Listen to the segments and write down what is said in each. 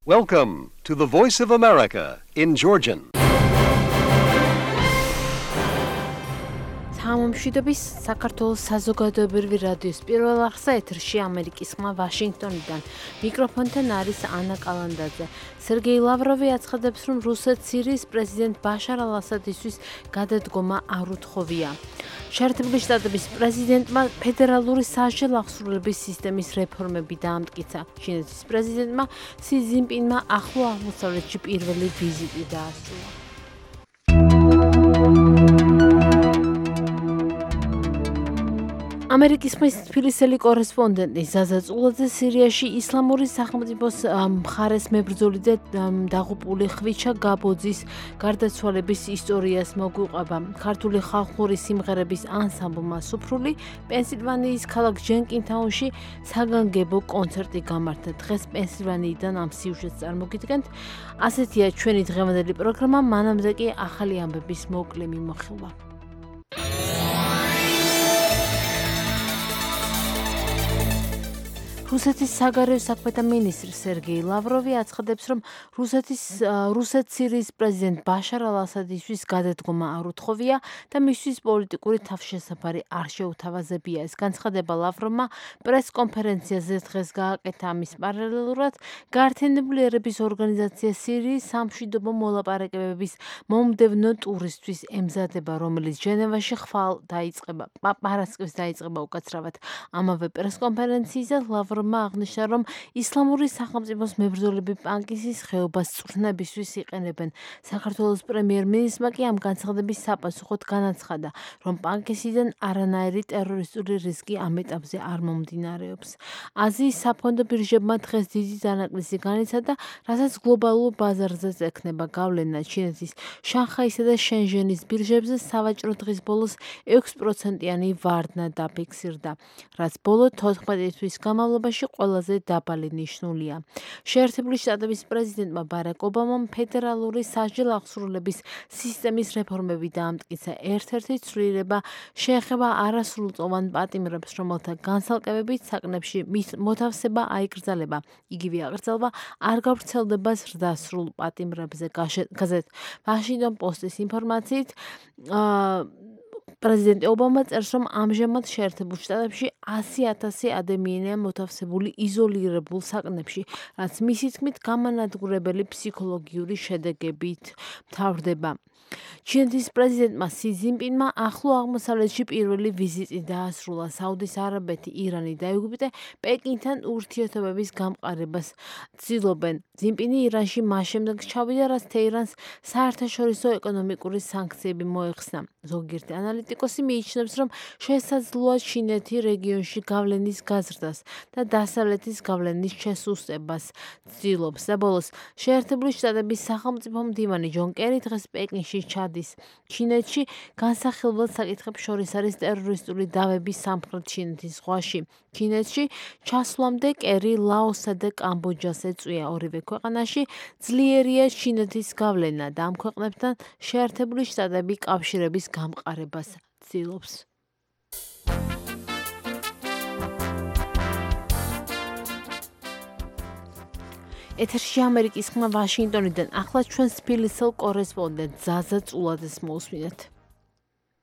Welcome to the Voice of America in Georgian. Համომშვიდობის საქართველოს საზოგადოებრივი რადიოს პირველ არხზე ეთერში ამერიკის ხმა ვაშინგტონიდან. მიკროფონთან არის ანა კალანდაძე. სერგეი ლავროვი აცხადებს, რომ რუსეთს სირიის პრეზიდენტ ბაშარ ალ-ასადისთვის გადადგომა არ უთხოვია. შეერთებული შტატების პრეზიდენტმა ფედერალური სასჯელ აღსრულების სისტემის რეფორმები დაამტკიცა. ჩინეთის პრეზიდენტმა სი ძინპინმა ახლო აღმოსავლეთში პირველი ვიზიტი დაასრულა. ამერიკის ხმის თბილისელი კორესპონდენტი ზაზა წულაძე სირიაში ისლამური სახელმწიფოს მხარეს მებრძოლი და დაღუპული ხვიჩა გაბოძის გარდაცვალების ისტორიას მოგვიყვება. ქართული ხალხური სიმღერების ანსამბლმა სუფრული პენსილვანიის ქალაქ ჯენკინთაუნში საგანგებო კონცერტი გამართა. დღეს პენსილვანიიდან ამ სიუჟეტს წარმოგიდგენთ. ასეთია ჩვენი დღევანდელი პროგრამა, მანამდე კი ახალი ამბების მოკლე მიმოხილვა. რუსეთის საგარეო საქმეთა მინისტრი სერგეი ლავროვი აცხადებს, რომ რუსეთს სირიის პრეზიდენტ ბაშარ ალ-ასადისთვის გადადგომა არ უთხოვია და მისთვის პოლიტიკური თავშესაფარი არ შეუთავაზებია. ეს განცხადება ლავროვმა პრესკონფერენციაზე დღეს გააკეთა. ამის პარალელურად გაერთიანებული ერების ორგანიზაცია სირიის სამშვიდობო მოლაპარაკებების მომდევნო ტურისთვის ემზადება, რომელიც ჟენევაში პარასკევს დაიწყება უკაცრავად. ამავე პრესკონფერენციაზე ლავროვმა აღნიშნა, რომ ისლამური სახელმწიფოს მებრძოლები პანკისის ხეობას წვრთნებისთვის იყენებენ. საქართველოს პრემიერ-მინისტრმა კი ამ განცხადების საპასუხოდ განაცხადა, რომ პანკისიდან არანაირი ტერორისტული რისკი ამ ეტაპზე არ მომდინარეობს. აზიის საფონდო ბირჟებმა დღეს დიდი დანაკლისი განიცადა, რასაც გლობალურ ბაზარზეც ექნება გავლენა. ჩინეთის შანხაისა და შენჟენის ბირჟებზე სავაჭრო დღის ბოლოს 6%-იანი ვარდნა დაფიქსირდა, რაც ბოლო 14 თვის განმავლობაში ყველაზე დაბალი ნიშნულია. შეერთებული შტატების პრეზიდენტმა ბარაკ ობამამ ფედერალური სასჯელ აღსრულების სისტემის რეფორმები დაამტკიცა. ერთ-ერთი ცვლილება შეეხება არასრულწლოვან პატიმრებს, რომელთა განცალკევებით საკნებში მის მოთავსება აიკრძალება. იგივე აკრძალვა არ გავრცელდება ზრდასრულ პატიმრებზე. გაზეთ ვაშინგტონ პოსტის ინფორმაციით პრეზიდენტ ობამა წერს, რომ ამჟამად შეერთებულ შტატებში 100,000 ადამიანია მოთავსებული იზოლირებულ საკნებში, რაც მისი თქმით გამანადგურებელი ფსიქოლოგიური შედეგებით მთავრდება. ჩინეთის პრეზიდენტმა სი ძინპინმა ახლო აღმოსავლეთში პირველი ვიზიტი დაასრულა. საუდის არაბეთი, ირანი და ეგვიპტე პეკინთან ურთიერთობების გამყარებას ცდილობენ. ძინპინი ირანში მას შემდეგ ჩავიდა, რაც თეირანს საერთაშორისო ეკონომიკური სანქციები მოეხსნა. ზოგიერთი ანალიტიკოსი მიიჩნევს, რომ შესაძლოა ჩინეთი რეგიონში გავლენის გაზრდას და დასავლეთის გავლენის შესუსტებას ცდილობს. და ბოლოს შეერთებული შტატების სახელმწიფო მდივანი ჯონ კერი დღეს პეკინში ჩადის. ჩინეთში განსახილველ საკითხებს შორის არის ტერორისტული დავები სამხრეთ ჩინეთის ზღვაში. ჩინეთში ჩასვლამდე კერი ლაოსსა და კამბოჯას ეწვია. ორივე ქვეყანაში ძლიერია ჩინეთის გავლენა და ამ ქვეყნებთან შეერთებული შტატები კავშირების გამყარებას ცდილობს. ეთერში ამერიკის ხმა ვაშინგტონიდან. ახლა ჩვენს თბილისელ კორესპონდენტ ზაზა წულაძეს მოусმინეთ.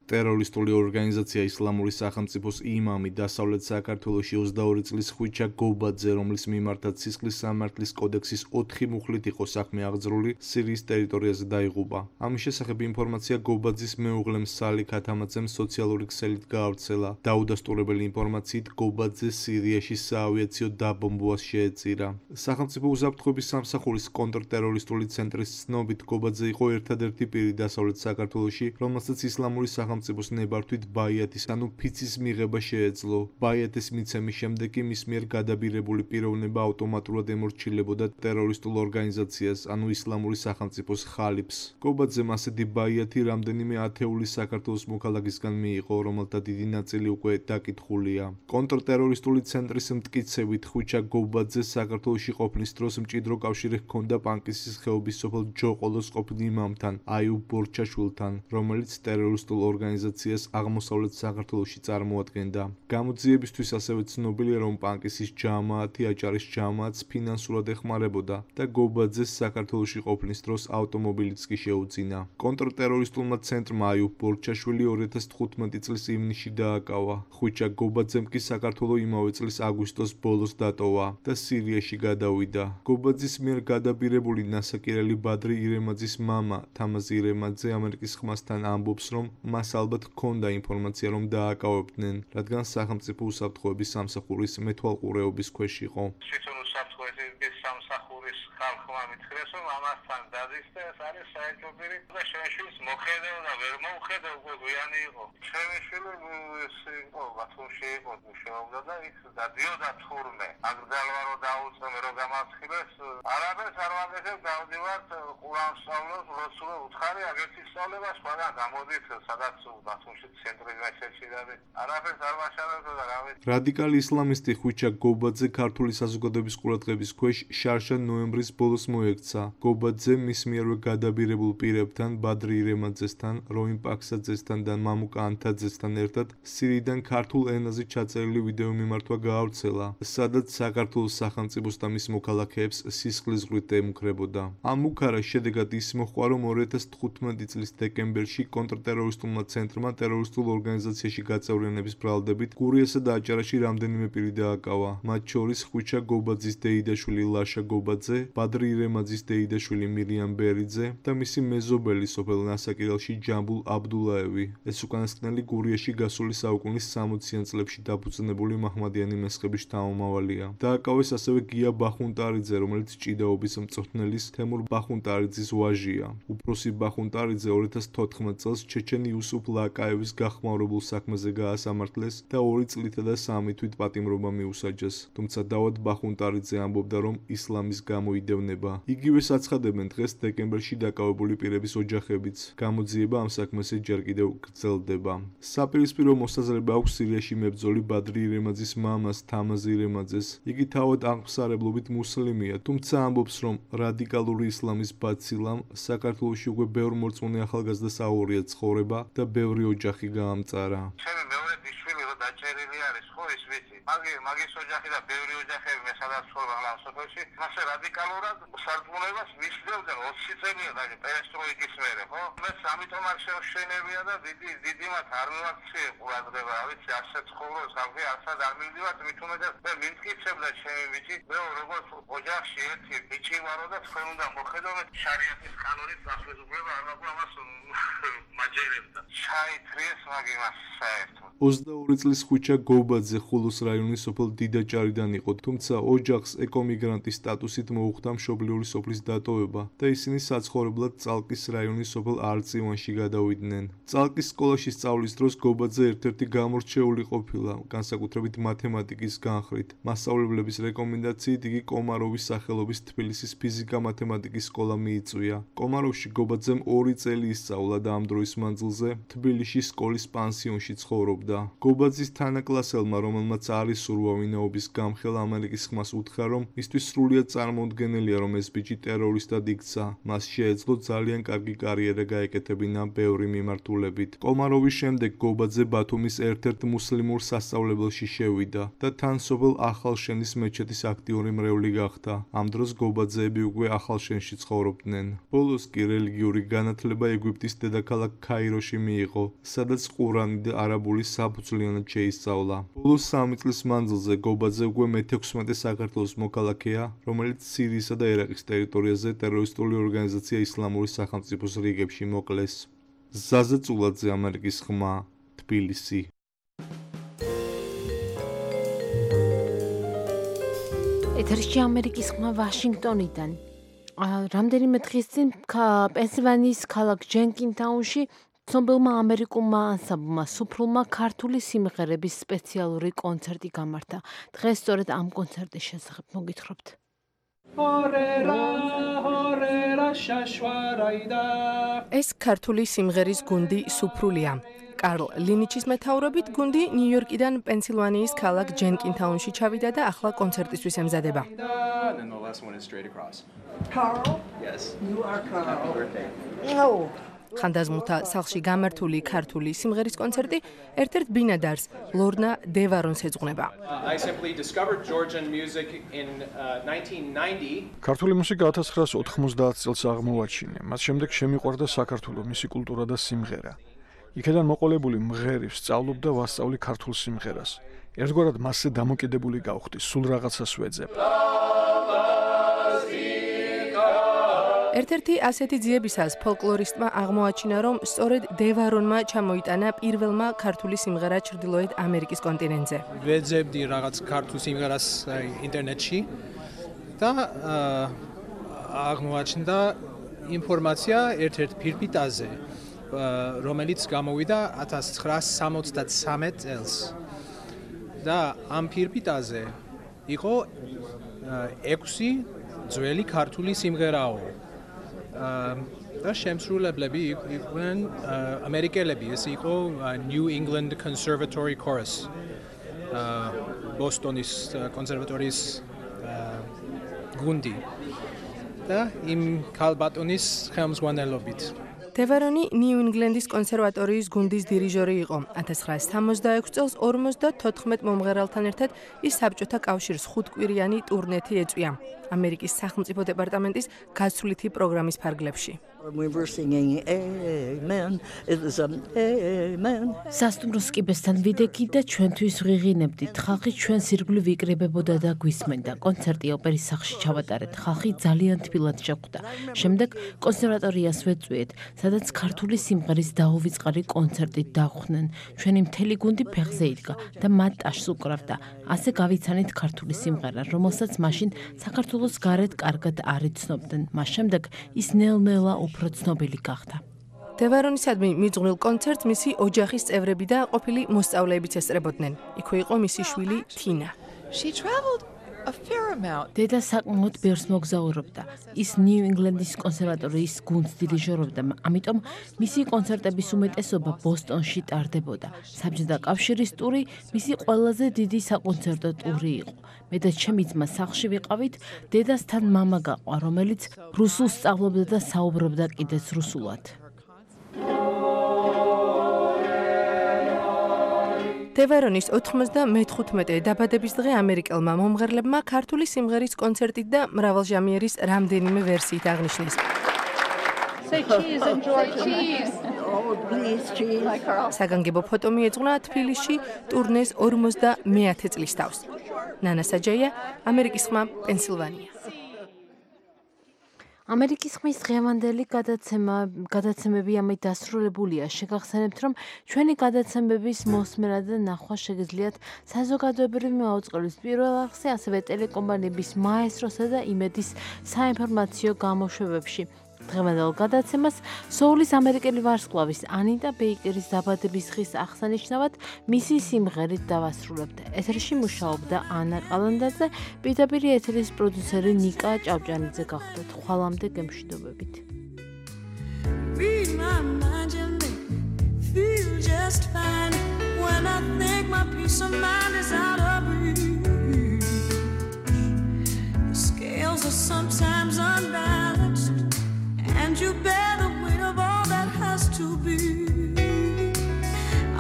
ტერორისტული ორგანიზაცია ისლამური სახელმწიფოს იმამი დასავლეთ საქართველოში 22 წლის ხვიჩა გობაძე, რომლის მიმართაც სისხლის სამართლის კოდექსის 4 მუხლით იყო საქმე აღძრული, სირიის ტერიტორიაზე დაიღუპა. ამის შესახებ ინფორმაცია გობაძის მეუღლემ სალიქ ათამაძემ სოციალური ქსელით გაავრცელა. დაუდასტურებელი ინფორმაციით გობაძე სირიაში საავიაციო დაბომბვას შეეწირა. სახელმწიფო უსაფრთხოების სამსახურის კონტრტერორისტული ცენტრის ცნობით გობაძე იყო ერთადერთი პირი დასავლეთ საქართველოში, რომელსაც ისლამური სახელმწიფოს ნებართვით ბაიათის ანუ ფიცის მიღება შეეძლო. ბაიათის მიცემის შემდეგ კი მის მიერ გადაბირებული პიროვნება ავტომატურად ემორჩილებოდა ტერორისტულ ორგანიზაციას ანუ ისლამური სახელმწიფოს ხალიფს. გობაძემ ასეთი ბაიათი რამდენიმე ათეული საქართველოს მოქალაქისგან მიიღო, რომელთა დიდი ნაწილი უკვე დაკითხულია. კონტრტერორისტული ცენტრის მტკიცებით ხვიჩა გობაძეს საქართველოში ყოფნის დროს მჭიდრო კავშირი ჰქონდა პანკისის ხეობის სოფელ ჯოყოლოს ყოფილ იმამთან აიუბ ბორჩაშვილთან, რომელიც ტერორისტულ ორგანიზაციას აღმოსავლეთ საქართველოში წარმოადგენდა. გამოძიებისთვის ასევე ცნობილია, რომ პანკისის ჯამაათი აჭარის ჯამაათს ფინანსურად ეხმარებოდა და გობაძეს საქართველოში ყოფნის დროს ავტომობილიც კი შეუძინა. კონტრტერორისტულმა ცენტრმა აიუბ ბორჩაშვილი 2015 წლის ივნისში დააკავა. ხვიჩა გობაძემ კი საქართველო იმავე წლის აგვისტოს ბოლოს დატოვა და სირიაში გადავიდა. გობაძის მიერ გადაბირებული ნასაკირელი ბადრი ირემაძის მამა თამაზი ირემაძე ამერიკის ხმასთან ამბობს, რომ მას ალბათ ჰქონდა ინფორმაცია, რომ დააკავებდნენ, რადგან სახელმწიფო უსაფრთხოების სამსახურის მეთვალყურეობის ქვეშ იყო. უსაფრთხოების სამსახურის ხალხმა მითხრეს, რომ ამასთან დადის და ეს არის საერთობირი და შეშვის მოხედავ და ვერ მოუხედავ უკვე გვიანი იყო. შეშვილი ის იყო ბათუმში იყო მუშაობდა და ის დადიოდა თურმე. აგრძელვარო დაუწმე რომ გამასხილეს არაბეთს არ ვაგეთებ გავდივართ ყურანსწავლოს როსულო უთხარი აგერთი სწავლება სხვაგან გამოდით სადაც ბათუმში ცენტრის მასში და არაბეთს არ ვაშავებდა და რავი. რადიკალი ისლამისტი ხვიჩა გობაძე ქართული საზოგადოების ყურადღების ქვეშ შარშან ნოემბრის ბოლოს მოექცა. გობაძე მის მიერვე გადაბირებულ პირებთან, ბადრი ირემაძესთან, როიმ პაქსაძესთან და მამუკა ანთაძესთან ერთად სირიიდან ქართულ ენაზე ჩაწერილი ვიდეო მიმართვა გაავრცელა, სადაც საქართველოს სახელმწიფოს და მის მოქალაქეებს სისხლისღვრით ემუქრებოდა. ამ უქარას შედეგად ის მოჰყვა, რომ 2015 წლის დეკემბერში კონტრტერორისტულმა ცენტრმა ტერორისტულ ორგანიზაციაში გაწევრიანების ბრალდებით გურიასა და აჭარაში რამდენიმე პირი დააკავა. მათ შორის ხვიჩა გობაძის დეიდაშვილი ლაშა გობაძე, ბადრი ირემაძის დეიდაშვილი მირიამ ბერიძე და მისი მეზობელი სოფელ ნასაკირელში ჯამბულ აბდულაევი. ეს უკანასკნელი გურიაში გასული საუკუნის 60-იან წლებში დაფუძნებული მაჰმადიანი მესხების შთამომავალია. დააკავეს ასევე გია ბახუნტარიძე, რომელიც ჭიდაობის მწვრთნელის თემურ ბახუნტარიძის ვაჟია. უფროსი ბახუნტარიძე 2014 წელს ჩეჩენ იუსუფ ლაკაევის გახმაურებულ საქმეზე გაასამართლეს და 2 წლითა და 3 თვით პატიმრობა მიუსაჯეს. თუმცა დავად ბახუნტარიძე ამბობდა, რომ ისლამის გამოიდევნება. იგივეს აცხადებენ დღეს დეკემბერში დაკავებული პირების ოჯახებიც. გამოძიება ამ საქმეზე ჯერ კიდევ გრძელდება. საპირისპირო მოსაზრება აქვს სირიაში მებრძოლი ბადრი ირემაძის მამას თამაზი ირემაძეს. იგი თავად აღმსარებლობით მუსლიმია, თუმცა ამბობს, რომ რადიკალური ისლამის ბაცილამ საქართველოში უკვე ბევრ მორწმუნე ახალგაზრდას აუღია ცხოვრება და ბევრი ოჯახი გაამწარა. ჩემი მეორე ბიშვილი რო დაჭერილი არის, ხო ის ვიცი. მაგის ოჯახი და ბევრი ოჯახები მე სადაც ცხოვრობ ამ სოფელში, მასე რადიკალურად სარწმუნოებას მისდევდნენ 20 წელია და პერესტროიკის მერე, ხო? მეც ამიტომ არ შევშენებია და დიდი მათ არ მივაქციე ყურადღება, ვიცი, ასე ცხოვრობს, ხალხი ასად არ მივდივართ, მით უმეტეს მე მიმტკიცებდა ჩემი ბიჭი, მე როგორც ოჯახში ერთი ბიჭი ვარო და თქვენ უნდა მოხედავთ შარიათის კანონით დასვეზუბრება არ მაქვს ამას მაჯერებდა. ჩაითრიეს მაგ-იმას საერთოდ. 22 წლის ხვიჩა გობაძე ხულოს რაიონის სოფელ დიდაჭარიდან იყო, თუმცა ოჯახს ეკომიგრანტის სტატუსით მოუხდა მშობლიური სოფლის დატოვება და ისინი საცხოვრებლად წალკის რაიონის სოფელ არწივანში გადავიდნენ. წალკის სკოლაში სწავლის დროს გობაძე ერთ-ერთი გამორჩეული ყოფილა, განსაკუთრებით მათემატიკის განხრით. მასწავლებლების რეკომენდაციით იგი კომაროვის სახელობის თბილისის ფიზიკა-მათემატიკის სკოლა მიიწვია. კომაროვში გობაძემ 2 წელი ისწავლა და ამ დროის მანძილზე თბილისში სკოლის პანსიონში ცხოვრობდა. გობაძის თანაკლასელმა, რომელმაც არ ისურვა ვინაობის გამხელა, ამერიკის ხმას უთხრა, რომ მისთვის სრულიად წარმოუდგენელია, რომ ეს ბიჭი ტერორისტად იქცა. მას შეეძლო ძალიან კარგი კარიერა გაეკეთებინა ბევრი მიმართულებით. კომაროვის შემდეგ გობაძე ბათუმის ერთ-ერთ მუსლიმურ სასწავლებელში შევიდა და თან სოფელ ახალშენის მეჩეთის აქტიური მრევლი გახდა. ამ დროს გობაძეები უკვე ახალშენში ცხოვრობდნენ. ბოლოს კი რელიგიური განათლება ეგვიპტის დედაქალაქ ქაიროში მიიღო, სადაც ყურანი და არაბული საფუძვლიანად შეისწავლა. ბოლოს 3 წლის მანძილზე გობაძე უკვე მე-16 საქართველოს მოქალაქეა, რომელიც სირიისა და ერაყის ტერიტორიაზე ტერორისტული ორგანიზაცია ისლამური სახელმწიფოს რიგებში მოკლეს. ზაზა წულაძე, ამერიკის ხმა, თბილისი. ეთერში ამერიკის ხმა ვაშინგტონიდან. რამდენიმე დღის წინ პენსილვანიის ქალაქ ჯენკინთაუნში ცნობილმა ამერიკულმა ანსამბლმა სუფრულმა ქართული სიმღერების სპეციალური კონცერტი გამართა. დღეს სწორედ ამ კონცერტის შესახებ მოგითხრობთ. ეს ქართული სიმღერის გუნდი სუფრულია. კარლ ლინიჩის მეთაურობით გუნდი ნიუ-იორკიდან პენსილვანიის ქალაქ ჯენკინთაუნში ჩავიდა და ახლა კონცერტისთვის ემზადება. ხანდაზმულთა სახლში გამართული ქართული სიმღერის კონცერტი ერთ-ერთ ბინადარს ლორნა დევარონს ეძღვნება. I simply discovered Georgian music in 1990. ქართული მუსიკა 1990 წელს აღმოვაჩინე. მას შემდეგ შემიყვარდა საქართველო, მისი კულტურა და სიმღერა. იქედან მოყოლებული მღერი ვსწავლობ და ვასწავლი ქართულ სიმღერას. ერთგვარად მასზე დამოკიდებული გავხდი, სულ რაღაცას ვეძებ. ერთ-ერთი ასეთი ძიებისას ფოლკლორისტმა აღმოაჩინა, რომ სწორედ დევარონმა ჩამოიტანა პირველმა ქართული სიმღერა ჩრდილოეთ ამერიკის კონტინენტზე. ვეძებდი რაღაც ქართულ სიმღერას ინტერნეტში და აღმოაჩნდა ინფორმაცია ერთ-ერთ ფირფიტაზე, რომელიც გამოვიდა 1973 წელს. და ამ ფირფიტაზე იყო 6 ძველი ქართული სიმღერაო. და შემსრულებლები იყვნენ ამერიკელები, ეს იყო New England Conservatory Chorus. ბოსტონის კონსერვატორიის გუნდი. და იმ ქალბატონის ხელმძღვანელობით. დევარონი ნიუ-ინგლენდის კონსერვატორიის გუნდის დირიჟორი იყო. 1966 წელს 54 მომღერალთან ერთად ის საბჭოთა კავშირს 5-კვირიანი ტურნეთი ეწვია ამერიკის სახელმწიფო დეპარტამენტის გასვლითი პროგრამის ფარგლებში. სასტუმროს კიბესთან ვიდექით და ჩვენთვის ვღიღინებდით. ხალხი ჩვენს ირგვლივ იკრიბებოდა და გვისმენდა. კონცერტი ოპერის სახლში ჩავატარეთ. ხალხი ძალიან თბილად შეხვდა. შემდეგ კონსერვატორიას ვეწვიეთ, სადაც ქართული სიმღერის დაუვიწყარი კონცერტით დახვდნენ. ჩვენი მთელი გუნდი ფეხზე იდგა და მათ ტაშს უკრავდა. ასე გავიცანით ქართული სიმღერა, რომელსაც მაშინ საქართველოს გარეთ კარგად არ იცნობდნენ. მას შემდეგ ის ნელ-ნელა უფრო ცნობილი გახდა. დევარონისადმი მიძღვნილ კონცერტს მისი ოჯახის წევრები და ყოფილი მოსწავლეებიც ესწრებოდნენ. იქვე იყო მისი შვილი თინა. დედა საკმაოდ ბევრს მოგზაურობდა. ის ნიუ-ინგლენდის კონსერვატორიის გუნდს დირიჟორობდა, ამიტომ მისი კონცერტების უმეტესობა ბოსტონში ტარდებოდა. საბჭოთა კავშირის ტური მისი ყველაზე დიდი საკონცერტო ტური იყო. მე და ჩემი ძმა სახლში ვიყავით, დედასთან მამა გაყვა, რომელიც რუსულს სწავლობდა და საუბრობდა კიდეც რუსულად. დევარონის 95 დაბადების დღე ამერიკელმა მომღერლებმა ქართული სიმღერის კონცერტით და მრავალჟამიერის რამდენიმე ვერსიით აღნიშნეს. საგანგებო ფოტო მიეძღვნა თბილისში ტურნეს 50 წლის თავს. ნანა საჯაია, ამერიკის ხმა, პენსილვანია. ამერიკის ხმის დღევანდელი გადაცემები ამით დასრულებულია. შეგახსენებთ, რომ ჩვენი გადაცემების მოსმენა და ნახვა შეგიძლიათ საზოგადოებრივი მაუწყებლის პირველ არხზე, ასევე ტელეკომპანიების მაესტროსა და იმედის საინფორმაციო გამოშვებებში. დღევანდელ გადაცემას სოულის ამერიკელი ვარსკვლავის ანიტა ბეიკერის დაბადების დღის აღსანიშნავად მისი სიმღერით დავასრულებთ. ეთერში მუშაობდა ანა ყალანდაძე, პირდაპირ ეთერის პროდიუსერი ნიკა ჭავჭანიძე გახლდათ. ხვალამდე გემშვიდობებით. And you bear the weight of all that has to be.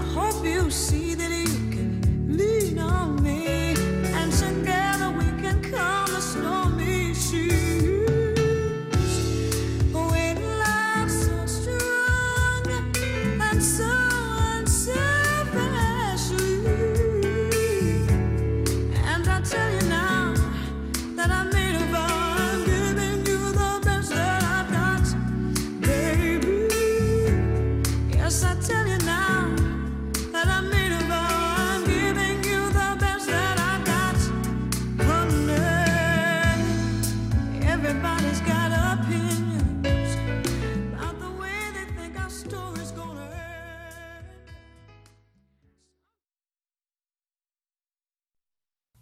I hope you see that you can lean on me, and together we can calm the stormy seas. When love's so strong and so unselfishly, and I tell you now that I made a vow.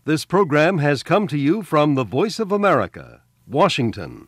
This program has come to you from the Voice of America, Washington.